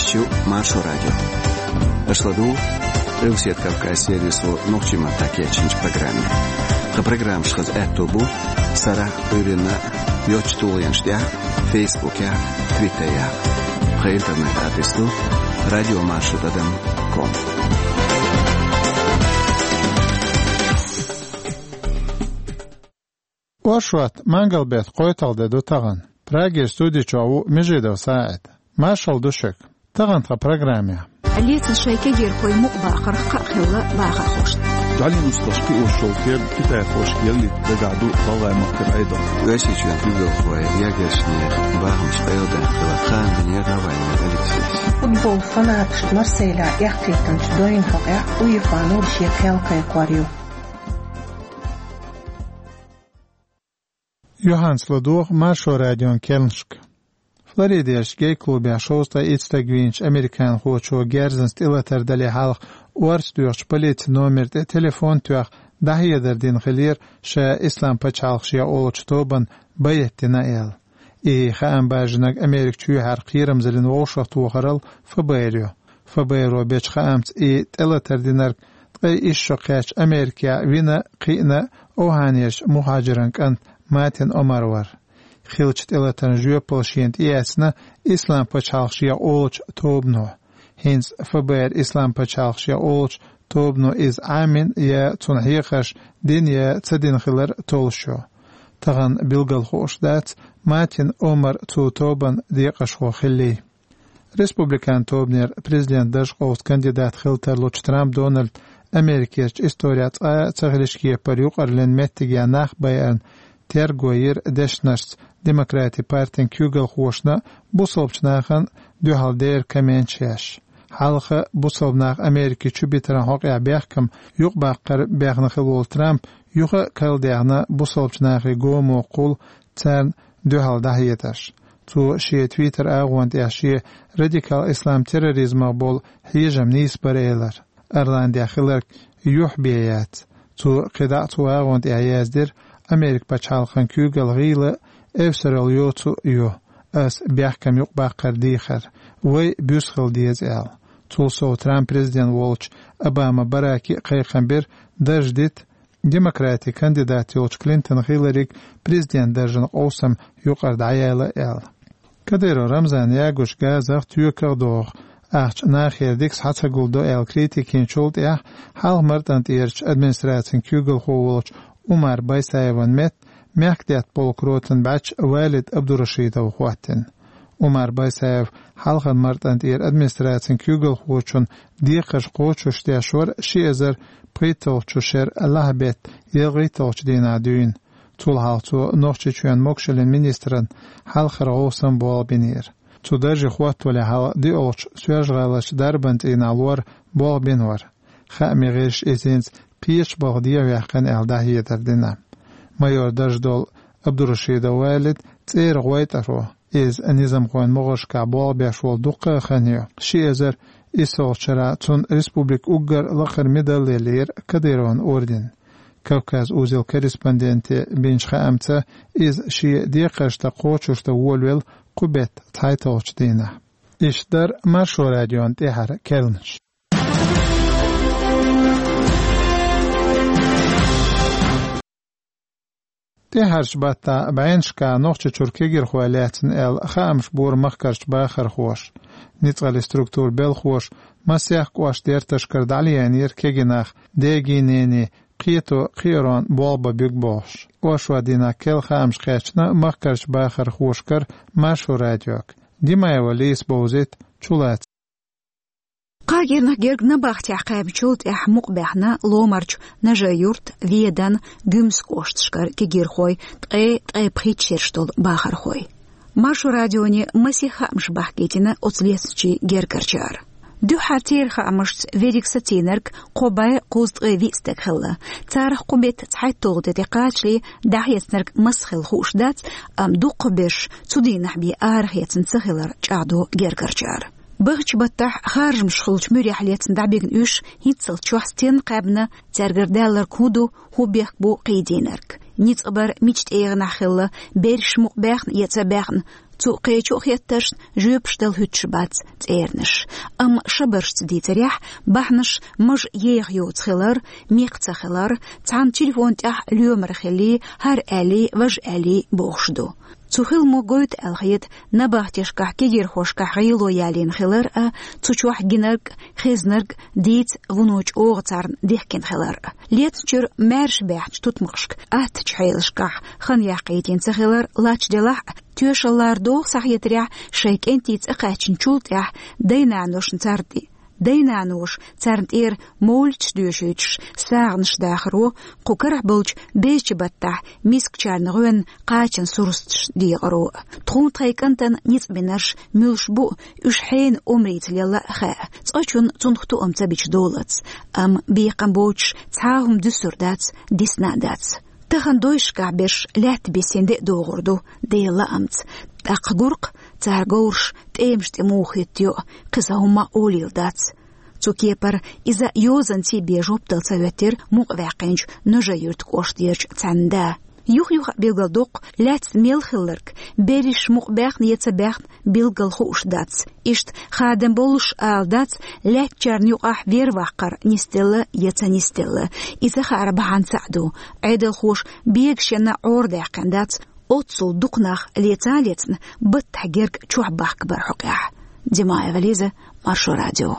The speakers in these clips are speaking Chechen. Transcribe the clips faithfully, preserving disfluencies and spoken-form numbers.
Шу Маршо радио. Аша ладугӀу Къилбаседа Кавказ сервисо нохчийн маттахь кечйинчу программе. Тхан программаш хаза аьтто бу сарахь а, Ӏуьйранна а йоцчу тулгӀенаш тӀехь а, Фейсбукехь а, Твиттерехь а. Тхан интернет-адрес ду радио маршо тӀадам ком. Оршот, мангал-беттан кхойтталгӀа де ду тахана. Прагера студи чохь ву Межидов СаӀид. Маршалла ду шуьга. Тахана тхан программехь. Лецна шайн кегийрхой мукъабахарх кхаъ хилла бахархошна. ДӀаленаш долуш кхиош йолу керда китайхошка яллийта дагахь ду ГӀалгӀай махкара Ӏедал. Оьрсийчоьнан куьйгалхой ягершнех бахамаш къайладаьккхина хаам бинера Навальный Алексейс. Футбол фанаташна Марсейлехь эккхийтинчу дойн хьокъехь УЕФА-но шен кхел кхайкхор ю. Юьхьанца ладогӀа Маршо радион керланашка. Флоридерчу гей-клубехь шовзткъе итт стаг вийначу американхочо герзанца тӀелатар дале хьалха орца доьхучу полицин номер тӀе телефон а тоьхна, дӀахьедар дина хиллера ша Ислам пачхьалкх шех олучу тобанна байъат дина аьлла. И хаам бажийнарг Америка чоьхьара кхерамзаллин вовшахтохаралла ФБР ю. ФБР-о бечу хаамца, и тӀелатар динарг ткъе исс шо кхаьчча Америкехь вина а, кхиъна а Охьанерчу мухӀажиран кӀант Матин Омар вара. Хиллачу тӀелатарна жоьпалла шена тӀеэцна Ислам пачхьалкх шех олучу тобано. ХӀинца ФБР Ислам пачхьалкх шех олучу тобано иза Ӏамийна я цунна хьехарш дина я ца дина хилар толлуш ю. Тахана билггал хууш дац, Матин Омар цу тобанан декъашхо хиллий. Республикан тобанера президентан дарж къовса кандидат хила тарлучу Трамп Дональд Америкерчу исторехь цкъа а ца хилча кепара юкъарлин меттигехь нах байарна терго йира дешнашца демократийн партин куьйгалхошна а, бусалбачу нахана а дуьхьал дера комменташ еш. Хьалха бусалба нах Америка чу битаран хьокъехь бехкам юкъабаккхар бехна хилла волу Трамп юха а карладаьхна бусалбачу нахе гомо кхул царна дуьхьал дӀахьедарш. Цо шен Twitter агӀонна тӀехь шен радикал ислам терроризмах болу хьежам нийса бара элира. Ирландехь хилларг юьхь бен яц. Цо кхидӀа а цу агӀонна тӀехь яздира: «Америка пачхьалкхан куьйгалла гӀийла а, эвсаралла йоцу а ю. Ас бехкам юкъабаккхар дехар. Вай буьсхила деза», — аьлла. Цул сов Трамп президент волчу Обама Бараке а кхайкхам бира дарж дита демократийн кандидат йолчу Клинтон Хиллариг президентан даржана къовсам юкъара дӀаяла аьлла. Кадыров Рамзан ягуш газах, тоьках а догӀу ахча нахера дика схьа ца гулдо аьлла критика йинчул тӀаьхьа хьалха Мартан тӀерачу администрацин куьйгалхо волчу Умар Байсаеван метта мехкдаьтта полкан ротан бӀаьчча Валид Абдурашидов хӀоттийна. Умар Байсаев хьалхарчу Мартан тӀера администрацин куьйгалхочун декхарш кхочушдеш вара ши эзар пхийтталгӀачу шеран лахьбеттан ялхитталгӀачу дийнахь дуьйна. Цул хьалха цо Нохчийчоьнан могашаллин министран хьалхара гӀовсан болх бинера. Цу дарже хӀоттавале хьалха диъолгӀачу Соьлжа-ГӀаларчу дарбан цӀийнахь лор болх бина вара. Хаамийн гӀирсаша иза хӀинца кхечу балха дехьаваьккхина аьлла дӀахьедар дина. Майор дарж долу Абдурашидов Валид цӀера гӀойтӀаро, иза низамхойн могӀаршкахь болх беш волу дуккха а хан ю. Ши эзар иссалгӀачу шарахь цунна республикан уггар лакхара медаль лелийра, Кадыровн орден. Кавказ узел корреспонденте бинчу хаамца, иза шен декхарш дан кхочушдан волавелла кху беттан цхьайтталгӀачу дийнахь. Иштта дара Маршо радион тӀаьхьара керланаш. ТӀаьхьарчу баттахь бӀеннашкахь Нохчийчуьра кегийрхой лаьцна аьлла хаамаш бора махкарчу бахархоша. Ницкъаллин структурийн белхоша масех кӀоштан дерташкара дӀалеянера кегий нах, дегийн, ненийн кхето кхиарон болх бан буьгу бохуш. Оршот дийнахь керла хаамаш кхаьчна махкарчу бахархошкара Маршо радиога. Димаева Лизас бовзийта, чулацара. Кхаа кӀирнах герга набахтехь кхаьбначул тӀаьхьа мукъабаьхна Ломарчу, Нажи-Юьртан, Ведан, Гуьмсан кӀошташкара кегийрхой, ткъе, ткъе пхийтта шераш долу бахархой. Маршо радионе масех хаамаш бахкийтина оцу лецначийн гергарчара. Дуьххьара церан хаамашца, верриг сацийнарг кхо бӀе кхузткъе виъ стаг хилла. Царах кху беттан цхьайтталгӀа де тӀекхачале дӀахецнарг маса хилла хууш дац, амма дукхахберш цу дийнахь бен арахецна ца хилар чӀагӀдо гергарчара. Бахча-баттахь харжамаш хуьлучу муьрехь лецна дӀабигна уьш хӀинццалц чохь стенна кхаьбна, цаьргара даьлларг хӀун ду, хӀун бехк бу кхийдийнарг. Ницкъ бар мича тӀегӀанахь хилла, берриш мукъабаьхна я ца баьхна, цу кхечу а хеттаршна жоьпаш дала хӀуьттуш бац цӀеранаш. Амма шабаршца дийцарехь, бахьанаш мажа еха йоцу хилар, мекх ца хилар, цхьана телефон тӀехь лоьмар хилий, хӀара аьллий, важа аьллий бохуш ду. Цу хиламо гойту аьлла хета набахтешкахь, кегирхошкахь гӀело ялийна хилар а, цу чохь гинарг а, хезнарг а дийца вуно чӀогӀа царна дихкина хилар а. Лецначуьра маьрша баьхначу тутмакхашка аттачу хьелашкахь хан яккхийтина ца хилар лач делахь а, тоьшаллара догӀу схьахетарехь, шайн кӀентий цӀа кхаьчначул тӀаьхьа дай-наношна царна тӀе Дай-наноша царна тӀера мовлидаш доьшуьйтуш сагӀанаш дахаро, кху карахь болчу безачу баттахь мискачарна гӀоьнна кхачан сурсаташ декъаро. Тхуна тхайн кӀантана ницкъ бинарш муьлш бу, уьш хьенан омрица лелла а хаьа, цкъачунна цунах тоам ца бича долац. Амма бекхам боцуш цхьа а хӀума дуьсур дац, дисна а дац. Тахана дойшкахь берш лаьтта бисина де а догӀур ду, Делан лаамца. ТӀаккха гуркх, цара говраш тӀемаш тӀе муха хӀиттайо, кхин сан хӀумма а олийла дац. Цу кепара иза йозанций бен жоп дала ца хӀоьттира мукъаваьккхинчу Ножай-Юьртан кӀоштарчу цхьаьна да. Юха-юха а билгалдоккху, лаьцна мел хилларг, берриш мукъабаьхна я ца баьхна, билггал хууш дац. Иштта хадам боллуш ала дац, лаьттачарна юкъахь вер ваккхар нисделла я ца нисделла. И ца хаар бахьана цхьаъ ду. Ӏедалхоша бегашенна Ӏорадаьккхина дац, оццул дукха нах лецна а лецна, баттахь герга чохь бахка бара хьокъехь. Димаева Лиза, Маршо радио.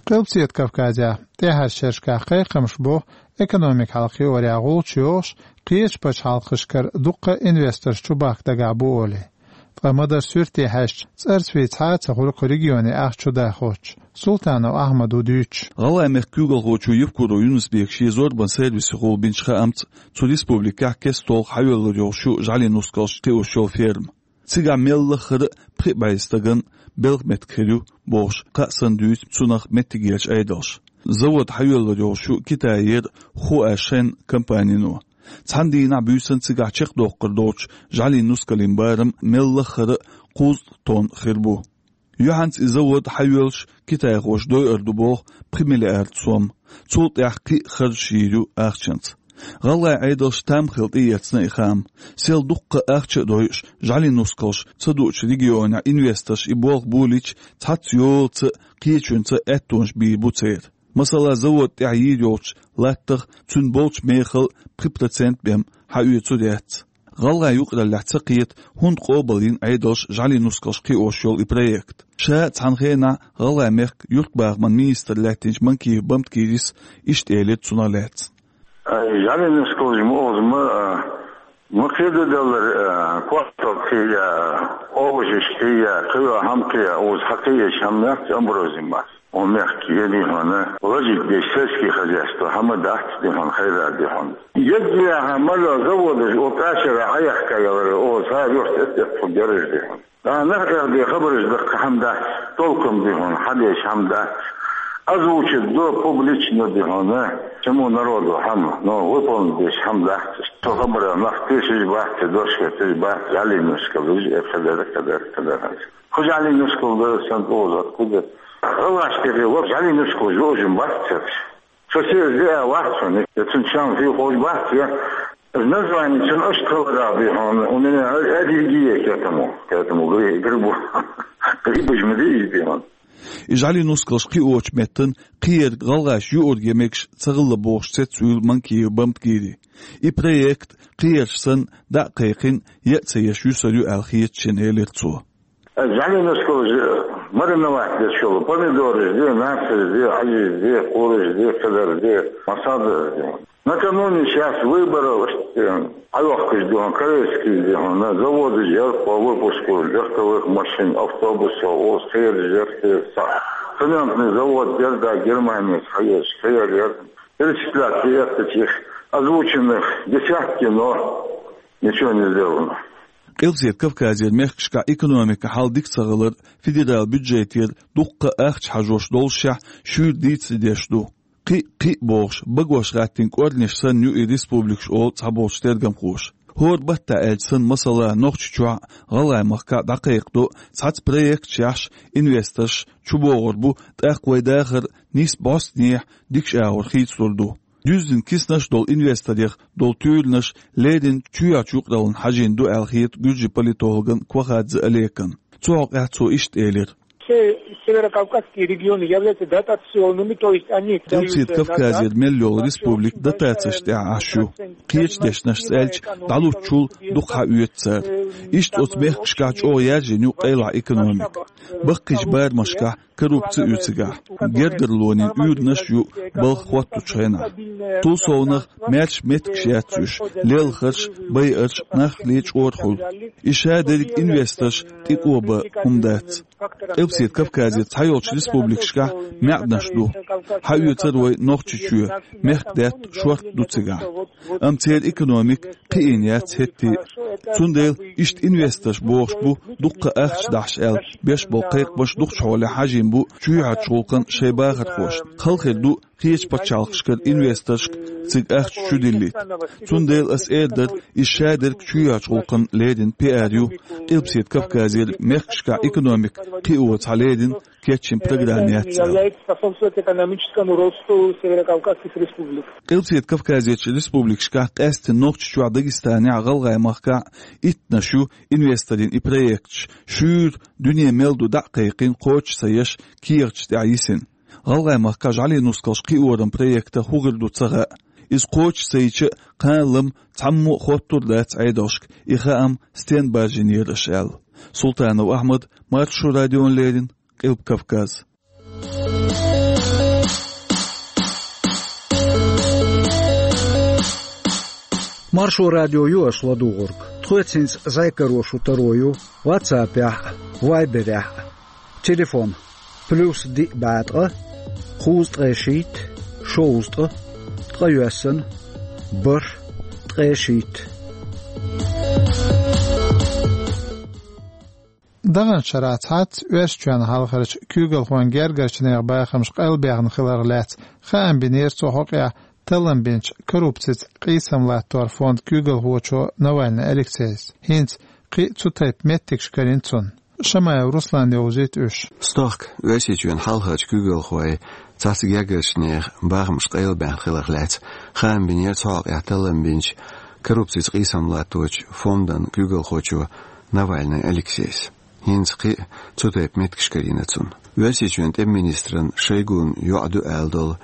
Къилбаседа Кавказехь тӀаьхьарчу шерашкахь кхайкхамаш бу, экономика хьалхайорехь гӀулч йохуш, кхечу пачхьалкхашкара дуккха а инвесторш чубахка дагахь бу олий. Ткъа ма-дарра суьрте хьаьжча, цӀарца вийца хьа а ца хуьлу кху регионе ахча чудахочуш, Султанов Ахьмада ву дуьйцуш. ГӀалгӀайн мехкан куьйгалхочо Евкуров Юнус-Бека шен зорбан сервисехула бинчу хаамца, цу республикехь кеста-толха хьайоьллур йолуш ю жӀаьлин нускалш кхиош йолу ферма. Цигахь мел лаххара а пхи бӀе стагана белхан меттиг хир ю, бохуш, кхаа санна дуьйцу цунах меттигерчу Ӏедалша. Завод хьайоьллур йолуш ю Китайера Хуашен компанино. Цхьана дийнахь буьйсанна цигахь чекхдоккхур долчу жӀаьлин нускалан барам мел лаххара а кхузткъа тонна хир бу. Юьхьанца и завод хьайоьллуш китайхоша дойур ду боху пхи миллиард сом. Цул тӀаьхьа кхин а харжаш йийр ю ахчанца. ГӀалгӀайн Ӏедалш там хилла тӀеэцна и хаам. Сел дуккха а ахча а дойуш, жӀаьлин нускалш ца дуучу регионехь инвесторш и болх болийча, цхьацца йолаца а, кхечуьнца а аьттонаш бийр бу церан. Масала, завод тӀехь йийр йолчу латтах цуьнан болчу мехала пхи процент бен хьаоьцур яц. ГӀалгӀайн юкъараллехь ца кхета, хӀунда къобалйина Ӏедалша жӀаьлин нускалш кхиош йолу и проект. Ша а цхьана хенахь ГӀалгӀайн мехкан юьртбахаман министр лаьттинчу Манкиев Бамткирис иштта элира цунах лаьцна. Ай, жӀаьлин нускалш ма оза ма, а, ма кхидӀа далар, а, квартал кхия, овощаш кхия, кхийо хӀама кхия, оза хьакхиеш хӀама яц, амброзин бац. О, мехкан еди хьуна, лажик деш сельский хозяйство, хӀама дац ди хьуна, хайра ди хьуна. Еггиаха мала заводаш о кашара хьаяхка ялара, о, цара юрт эттехь тху гераш ди хьуна. Нах эхь де хабараш даккха хӀама дац, толком ди хьуна, хьадеш хӀама дац. Озвучить до публично ди хьуна, чему народу хӀама, но выполнить деш хӀама дац. Со хабара нах тешаш бац, дошка теш бац, жӀаьлин нускалш, э, кхадар, кхадар, кхадар. Кху жӀаьлин нускал дара сан оза, откуда? ГӀалгӀаш тӀе хилла жӀаьлин нускалш йоужун бац цераш. Со сес де а вац хьуна, я цун чам хи хож бац, я. Название цун аш талара ди хьуна, у меня аллергия к этому, к этому гри-, грибу. Грибаш ма дий иза ди хьуна. И жӀаьлин нускалш кхиочу меттан кхиерг гӀалгӀаша юург я мегаш ца хилла бохуш цецвуьйлу Манкиев Бамткири. И проект, кхиерш санна, дӀа а кхайкхина, я а ца еш юьсур ю аьлла хета шена, элира цо. ЖӀаьлин нускалш мариновать деш йолу помидораш де, нацарш де, хьажиш де, кхораш де, кхадар де, масада де. Накануне сейчас выборов, э, хьайохкуш ду хьуна, корейский ди хьуна, заводаш яр по выпуску легковых машин, автобусов, оз кхераш яр, кхераш. Цементный завод яр, да, Германияс хьаеш, кхер яр. Перечислять и этих озвученных десятки, но ничего не сделано. Къилбаседа Кавказера мехкашкахь экономикан хьал дика ца хилар, федералан бюджетера дуккха а ахча хьажош доллушехь, шуьйра дийцаре деш ду. Кхиъ-кхиъ бохуш, багош гӀаттина кӀорнеш санна ю и республикаш, олу цхьаболчу тергамхоша. ХӀора баттахь аьлча санна, масала, Нохчийчохь а, ГӀалгӀайн махкахь а дӀакхайкхадо цхьацца проекташ яхьаш, инвесторш чубогӀур бу, тӀаккха вайн дахар нийсса бӀостанехьа дикачу агӀор хийцалур ду. Дуьззина киснаш долу инвесторех долу туьйранаш леррина чоьхьарчу юкъараллина хьажийна ду аьлла хета гуьржийн политологна Квахадзе Олекна. Цу хьокъехь цо иштта элира: Все северокавказские регионы являются дотационными, то есть они дают, э, Кавказера мел йолу республика дотацеш тӀехь Ӏаш ю. Кхечу дешнашца аьлча, дӀалуччул дукха хьаоьцу цара. Иштта оцу мехкашкахь чӀогӀа яьржина ю къайлахь экономика. Баккхийчу барамашкахь коррупци ю цигахь. Гергарлонийн уьйранаш ю балха хӀоттучу хенахь. Цул совнах маьрша меттигаш яц уьш, лелхарш, байарш, нах лечкъор хуьлу. И шадерг инвесторш тӀекъоба хӀума дац. Къилбаседа Кавказера цхьайолчу республикашкахь маьӀданаш ду. Хьаоьцур вай Нохчийчоь, мехкдаьтта шорта ду цигахь. Амма церан экономика кхиийна яц хӀетте а. Цундела иштта инвесторш бохуш бу дуккха ахча дахьаш аьлла, беш болу кхайкхамаш дукхачу хьолехь хьажийна бу чоьхьарчу гӀуллакхна шайн бахархошна. Халхар ду кхечу пачхьалкхашкара инвесторшка цига ахча чудиллийта. Цундела ас эр дара, иза шадерг чоьхьарчу гӀуллакхна леррина пиар ю, Къилбаседа Кавказера мехкашкахь экономика кхио цхьа леррина кечйина программа яц аьлла. Является способствовать экономическому росту северокавказских республик. Къилбаседа Кавказерчу республикашкахь, къаьсттина Нохчийчохь, Дагестанехь, ГӀалгӀай махкахь иттанаш ю инвесторийн и проекташ, шуьйра дуьне мел ду дӀа а кхайкхина, кхочуш ца еш, кехаташ тӀехь йисина. ГӀалгӀай махкахь жӀаьлин нускалш кхиоран проекта хӀун хир ду ца хаьа. Иза кхочуш ца йича а, кхана-лама цхьаммо а хоттур дац Ӏедалшка, и хаам стенна баржийнера аша аьлла. Султанов Ахьмад, Маршо радиона леррина, Къилба Кавказ. Маршо радио ю аша ладугӀург. Тхоьца хӀинца зӀе каро шу таро ю WhatsApp-ехь а, Viber-ехь а. Телефон: плюс диъ бӀе ткъа, кхузткъе шийтта, шовзткъа, ткъе йоьссана, бархӀ, ткъе шийтта. Даханчу шарахь цхьацца Оьрсийчоьнан хьалхарчу куьйгалхойн гергарчу нехан бахамаш къайлабаьхна хиларх лаьцна хаам бинера цу хьокъехь таллам бинчу коррупцица къийсам латтор фондан куьйгалхочо Навальный Алексейс. ХӀинца кхин а цу тайпа меттигаш карийна цунна. Шамаев Руслана йовзуьйту уьш. Стохка Оьрсийчоьнан хьалхарчу куьйгалхойн цхьацца гергарчу нехан бахамаш къайлабаьхна хиларх лаьцна хаам бинера цу хьокъехь таллам бинчу коррупцица къийсам латточу фондан куьйгалхочо Навальный Алексейс. ХӀинца кхин а цу тайпа меттигаш карийна цунна. Оьрсийчоьнан тӀеман министран Шойгун йоӀ ду аьлла долу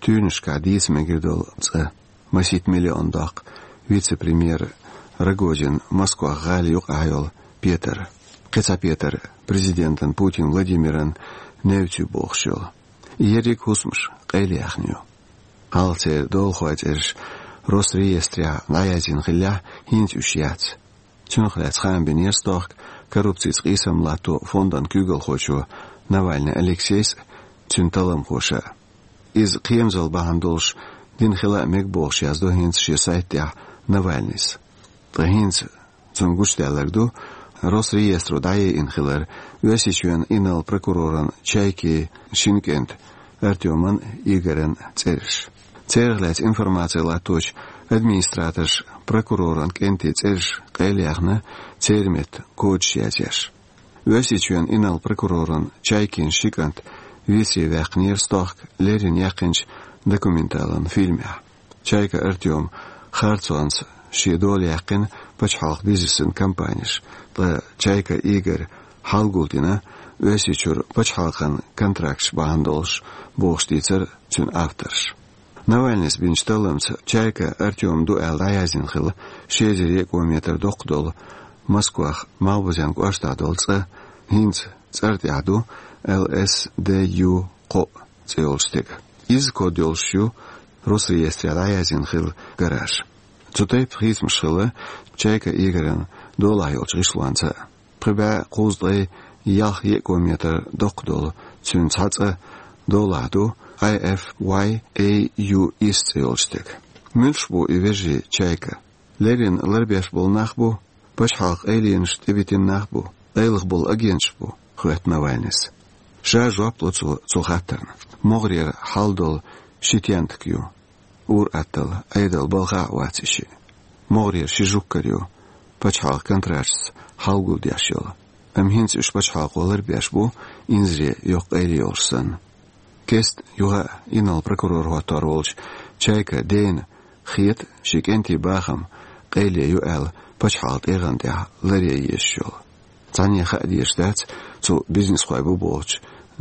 туьйранашкахь дийца мегар долу цӀа. Масийтта миллион доккху вице-премьер Рогозин Москвах гӀала юкъахь йолу петар. Кхин цхьа петар президентан Путин Владимиран невций бохуш йолу. И ерриг а хӀусамаш къайлаяьхна ю. Хьалха церан долахойн цӀераш Росреестрехь дӀаязйина хиллехь, хӀинца уьш яц. Цунах лаьцна хаам бинера стохка коррупцица къийсам латто фондан куьйгалхочо Навальный Алексейс а, цуьнан талламхоша а. Иза кхерамзалла бахьана долуш дина хила а мега бохуш яздо хӀинца шен сайта тӀехь Навальныйс. Ткъа хӀинца цунна гучудаьлларг ду Росреестро дӀаяйина хилар Оьрсийчоьнан инарла прокуроран Чайкин шина кӀентан Артёман Игоран цӀераш. Церах лаьцна информаци латточу администраторша прокуроран кӀентийн цӀераш къайлаяьхна, церан метта кодаш язъеш. Оьрсийчоьнан инарла прокуроран Чайкин ши кӀант весте ваьккхинера стохка леррина яьккхинчу документалан фильмехь. Чайка Артём харцонца шен дола яьккхина пачхьалкхан бизнесан компанеш, ткъа Чайка Игорь хьалгулдина Оьрсийчуьра пачхьалкхан контракташ бахьана долуш, бохуш дийцира цуьнан авторша. Навальныйс бинчу талламца Чайка Артём ду аьлла дӀаяздина хилла ши эзар екӀо метр доккха долу Москвах Малхбузен кӀоштахь долу цӀа, хӀинца цӀара тӀехь ду Л С Д Ю кхоъ цӀе йолчу стеган. Изза код йолуш ю Росреестрехь дӀаяздина хилла гараж. Цу тайпа хийцамаш хилла Чайка Игоран долахь йолчу гӀишлонца а. Пхи бӀе кхузткъе ялх екӀо метр доккха долу цуьнан цхьа цӀа долахь ду I F Y A U S цӀе йолчу стеган. Муьлш бу и вежарий Чайка? Леррина ларбеш болу нах бу, пачхьалкхан къайленаш тӀебитина нах бу, къайлаха болу агенташ бу, хоьтту Навальныйс. Ша жоп ло цо цу хаттарна. МогӀарера хьал долу ши тентак ю. Ур-атталла, Ӏедал балха а вац и шиъ. МогӀарера ши жуггар ю, пачхьалкхан контракташца хьалгулдеш йолу. Амма хӀинца уьш пачхьалкхо ларбеш бу, инзаре йоккха къайле йолуш санна. Кеста юха а инарла прокурор хӀоттор волчу Чайка Дэна хета шен кӀентий бахам къайле ю аьлла пачхьалкхан тӀегӀан тӀехь ларъян езаш йолу. Цхьанне хаа дезаш дац, цу бизнесхой бу бохучу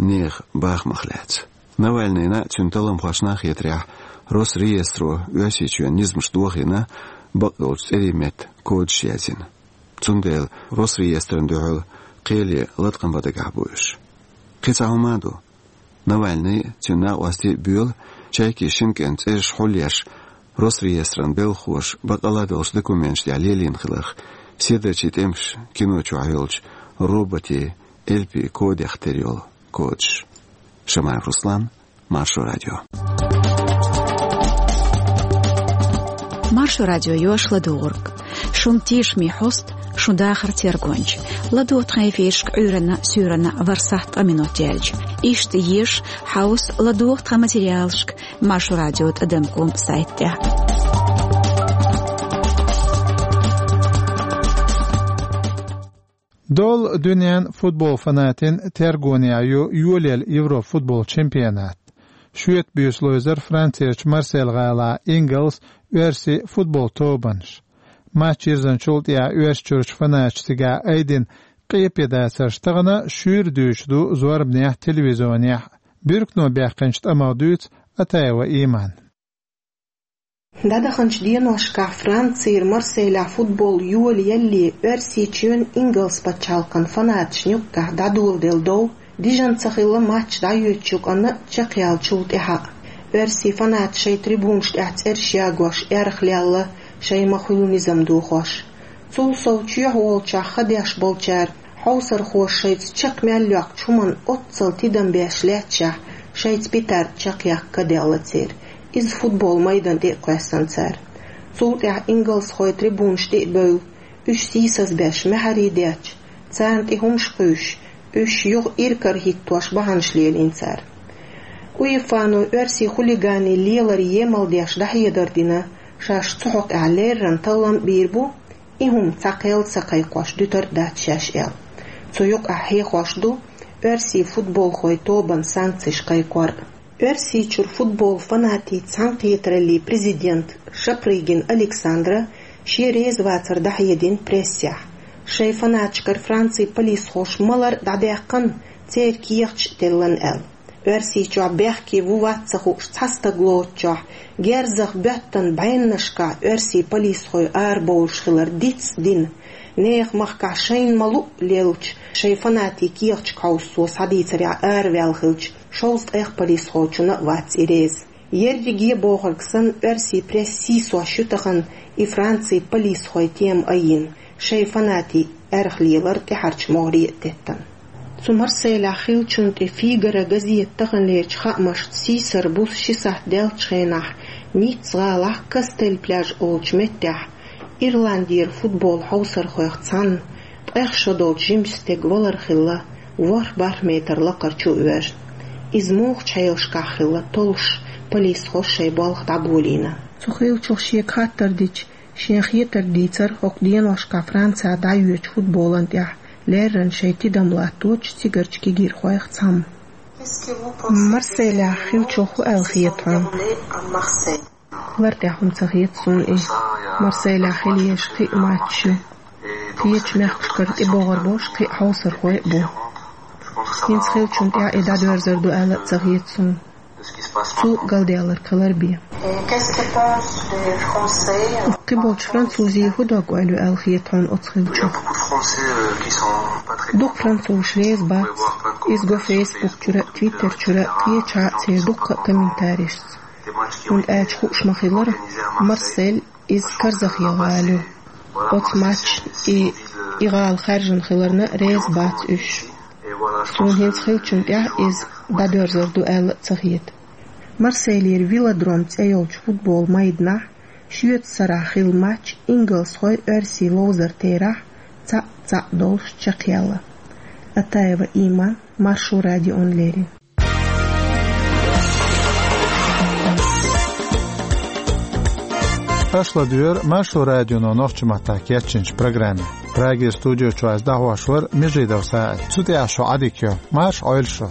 нехан бахамах лаьцна. Навальныйна а, цуьнан талламхошна а хетарехь, Росреестро Оьрсийчоьнан низамаш дохийна, бакъ долчу цӀерийн метта кодаш язйина. Цундела Росреестрана дуьхьал кхеле латкъам бан дагахь бу уьш. Кхин цхьа хӀума а ду. Навальный а, цуьнан накъостий а боьлу Чайкин шина кӀентан цӀераш хьулъеш, Росреестран белхахоша бакъалла долчу документаш тӀехь лелийна хиларх, седарчийн тӀемаш кино чохь йолчу роботийн элпийн кодех тера йолу кодаш. Шамаев Руслан, Маршо радио. Маршо радио йош ладугӀург. Шун тешаме хьост, шун дахар тергонча. ЛадогӀа тхан эфирашка Ӏуьйранна, суьйранна ворхӀ сахьт ткъа минот яьлча. Иштта еза хьовса, ладогӀа тхан материалашка Маршо радио тӀадам ком сайт тӀехь. Долу дуьненан футбол фанатийн тергонехь ю йолаелла Европа футбол чемпионат. Шоьтан буьйса ловзар Францерчу Марсель гӀалахь ингалс, оьрси футбол тобанаш. Матч йирзинчул тӀаьхьа Оьрсийчуьрчу фанаташа цигахь айдина къепе дацарш тахана шуьйра дуьйцуш ду зорбанехь, телевизионехь. Буьркано баьккхинчу тӀамах дуьйцу Атаева Имана. ДӀадаханчу деношкахь Францера Марселехь футбол йолаеллале, Оьрсийчоьнан ингалс пачхьалкхан фанаташна юккъехь дӀадоладелла дов дижна ца хилла матч дӀайоьдучу кӀанна чекхъяьллачул тӀаьхьа. Оьрсийн фанаташ шайн трибунаш тӀехь цӀераш ягош эрхалелла, шайн ма-хуьллу низам дохош. Цул сов чоьхьа волчохь ха деш болчара, хьовсархоша шайца чекх мел йоккхучу хӀуманна оццул тидам беш лаьтташехь, шайца петард чекхъяккха ка делла церан. Иза футбол майдан тӀе а кхоьссина цара. Цул тӀаьхьа ингалсхой трибунаш тӀе а бевлла, уьш сийсаз беш маьхьарий детташ, царна тӀе хӀумаш кхуьйсуш, уьш юха иракарахӀиттош бахьанаш лелийна цара. УЕФА-но оьрсийн хулиганийн лелар емал деш дӀахьедар дина, шаьш цу хьокъехь леррина таллам а бийр бу, и хӀума цхьа кхел а ца кхайкхош дуьтур а дац шаьш аьлла. Цу юкъахь хьехош ду оьрсийн футболхойн тобанан санкцеш кхайкхор а. Оьрсийчуьра футбол фанатийн цхьаьнакхетараллин президента Шапрыгина Александра шен резавацар дӀахьедина прессехь. Шайн фанаташкара Францин полисхоша малар а дӀадаьккхина, церан кехаташ а теллина аьлла. Оьрсийчохь бехке ву-вац ца хууш цхьа стаг лоцучохь, герзах боьттина бӀеннашкахь оьрсийн полисхой арабовлуш хилар диц а дина, нехан махкахь шайна ма-луъу леллачу шайн фанатийн кехаташка хьовса цо схьадийцарехь араваьлла хилча, шовзткъа эха полисхочунна а вац и реза. Ерриге бохург санна, оьрсийн прессан сийсош ю тахана и Францин полисхойн тема айина, шайн фанатийн эрхалелар тӀаьхьарчу могӀаре а теттина. Цу Марселехь хиллачунна тӀе «Фигаро» газетан таханлерчу хаамашца, сийсара буса ши сахьт даьллачу хенахь Ницца гӀалахь Кастель-Пляж олучу меттехь Ирландера футбол хьовсархойх цхьанна ткъех шо долчу жимачу стеган валар хилла, ворхӀ бархӀ метр лакхара чу а воьжна. Иза муха чхьаеллашкахь хилла толлуш, полисхоша шайн болх дӀаболийна. Цу хиллачух шега хаттар дича, шена хетарг дийцира хӀокху деношкахь Францехь дӀайоьдучу футболан тӀехь леррина шайн тидам латточу цигарчу кегийрхойх цхьамма. Марселехь хиллачух хӀун аьлла хета хьуна? Лар тӀехь хӀума ца хета суна и. Марселехь хила езаш кхин а матчаш ю. Кхечу мехкашкара тӀебогӀур болуш кхин а хьовсархой а бу. ХӀинца хиллачунна тӀехь и дӀадоьрзур ду аьлла а ца хета суна. Цул галдаьлларг хилар бен. Кхиболчу французийн хӀун дог-ойла ю аьлла хета хьуна оцу хиллачух? Дукха французаш реза бац, иза го Facebook чуьра а, Twitter чуьра а, кхечахьа а церан дуккха а комментарийшца. ХӀунда аьлча хууш ма-хиллара, Марсель иза карзахъяла гӀала ю. Оцу матчана и, и гӀала хаьржина хиларна реза бац уьш. Суна хӀинца хиллачунна тӀехь иза дӀадоьрзур ду аьлла а ца хета. Марселера «Велодром» цӀе йолчу футбол майданахь шоьтан сарахь хилла матч ингалсхой оьрсийн ловзар терахь цхьаъ-цхьаъ долуш чекхъяьлла. Атаева Има, Маршо радиона леррина. Аша ладоьгӀура Маршо радионо нохчийн маттахь кечйинчу программе. Прагера студи чуьра ас дӀахьош вара Межидов СаӀид. Цу тӀехь шун Ӏадика йо. Марша Ӏойла шу.